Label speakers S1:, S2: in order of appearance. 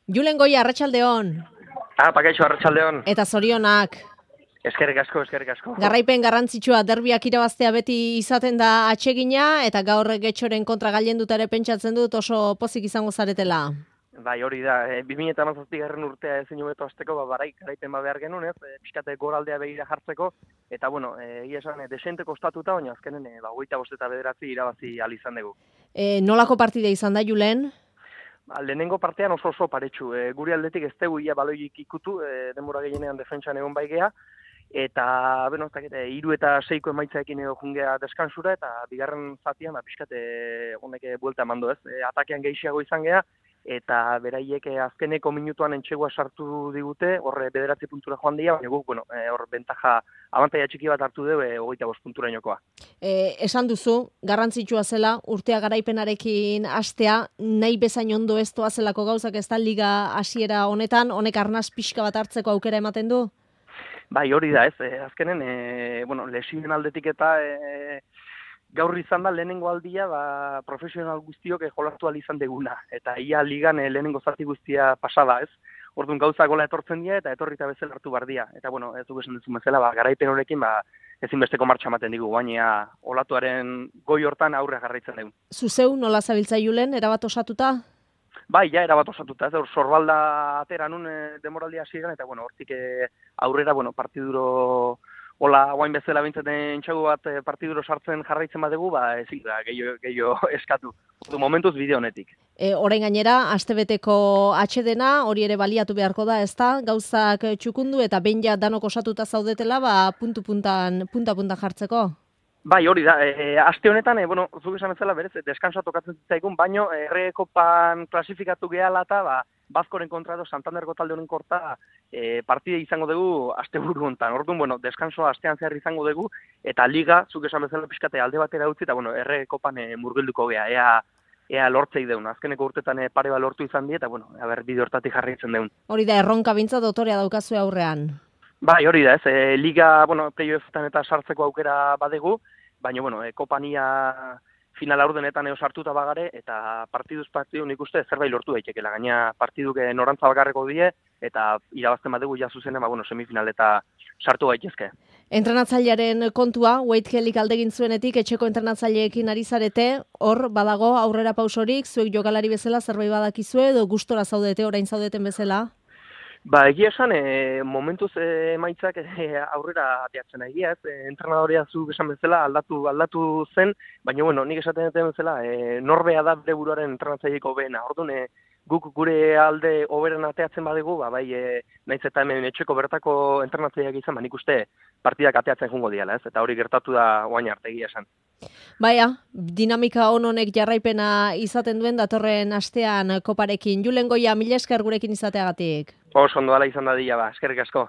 S1: Julen Goia, arratsaldeon.
S2: Pakaixo, arratsaldeon.
S1: Eta zorionak.
S2: Eskerrik asko, eskerrik asko.
S1: Garraipen garrantzitsua derbiak irabaztea beti izaten da atsegina, eta gaur Getxoren kontra gailenduta ere pentsatzen dut oso pozik izango zaretela.
S2: Bai, hori da, 2017 urtea ezin hobeto hasteko, garaipen behar genuen, pixkate goraldea begira jartzeko, eta bueno, egia esan, desente kostatuta, baina azkenen, 25 eta 9 irabazi ahal izan dugu.
S1: Nolako partida izan da, Julen?
S2: Lehenengo partean oso paretsu, guri aldetik ez dugu ia baloik ikutu, denbora gehienean defentsan egon baigea, eta, beno, 3 eta 6 emaitzaekin jungea deskansura, eta bigarren zatian, pixkate honek buelta emandu ez, atakean gehiago izan gea, eta beraiek azkeneko minutuan entxegua sartu digute, horre 9 puntura joan dira, baina guk, hor bentaja, abantaia txiki bat hartu dugu, 25 puntura inokoa.
S1: Esan duzu, garrantzitsua zela, urtea garaipenarekin hastea, nahi bezain ondo ez doazelako gauzak ez da liga hasiera honetan, honek arnaz pixka bat hartzeko aukera ematen du?
S2: Bai, hori da ez, azkenen, lesioen aldetik eta gaur izan da lehenengo aldia profesional guztiok jolatu ahal izan deguna. Eta ia ligan lehenengo zati guztia pasada ez. Orduan gauza gola etortzen dira eta etorrita bezala hartu bardia. Eta bueno, ez dugu esan duzun bezala, garaipen horrekin ezinbesteko martxa ematen digu, baina olatuaren goi hortan aurre jarraitzen dugu.
S1: Zuzeu, nola zabiltza Julen, erabat osatuta?
S2: Bai, ja, erabat osatuta, ez sorbalda atera nun demoraldia hasieran eta bueno, hortik aurrera, partiduro hola, guain bezala bintzaten txagu bat partiduro sartzen jarraitzen badegu, ezin da, gehiago eskatu. Momentuz bide honetik.
S1: Orain gainera, astebeteko atxedena, hori ere baliatu beharko da, ezta? Gauzak txukundu eta behin ja danok osatuta zaudetela, punta-puntan jartzeko?
S2: Bai, hori da, aste honetan, zuk esan bezala berez, deskansoa tokatzen zitzaigun, baino Kopan klasifikatu gehala eta Bazkoren kontra edo Santanderko talde honen korta partide izango dugu asteburu hontan. Orduan, deskansoa astean zehar izango dugu, eta liga, zuk esan bezala pixkate alde batera utzi, eta Kopan murgilduko gea, ea lortzei deun. Azkeneko urtetan pare bat lortu izan die, eta bide hortatik jarraitzen deun.
S1: Hori da, erronka bintza dotorea daukazu aurrean.
S2: Bai, hori da, ez. Liga, playoffetan eta sartzeko aukera badegu, baina, Kopania final aurdenetan sartuta bagare, eta partiduz nik uste zerbait lortu daitekela. Gaina partiduk norantza bakarreko die, eta irabazten badegu jazuzenen, semifinal eta sartu gaitezke.
S1: Entrenatzailearen kontua, Wade Kellyk aldegin zuenetik, etxeko entrenatzaileekin ari zarete, hor badago aurrera pausorik, zuek jokalari bezala zerbait badakizue, edo gustora zaudete, orain zaudeten bezala?
S2: Egia esan, momentuz emaitzak aurrera ateatzen egia, ez? Entrenadorea zu esan bezala aldatu zen, baina nik esaten duten bezala, norbea da bere buruaren entrenatzaileko behena. Orduan, guk gure alde hoberen ateatzen badegu, naiz eta hemen etxeko bertako entrenatzaileak izan, nik uste partidak ateatzen jungo diala, ez? Eta hori gertatu da oain arte egia esan.
S1: Baina, dinamika honek jarraipena izaten duen datorren astean Koparekin. Julen Goia, mila esker gurekin izateagatik.
S2: Oso ondo ala izan da eskerrik asko.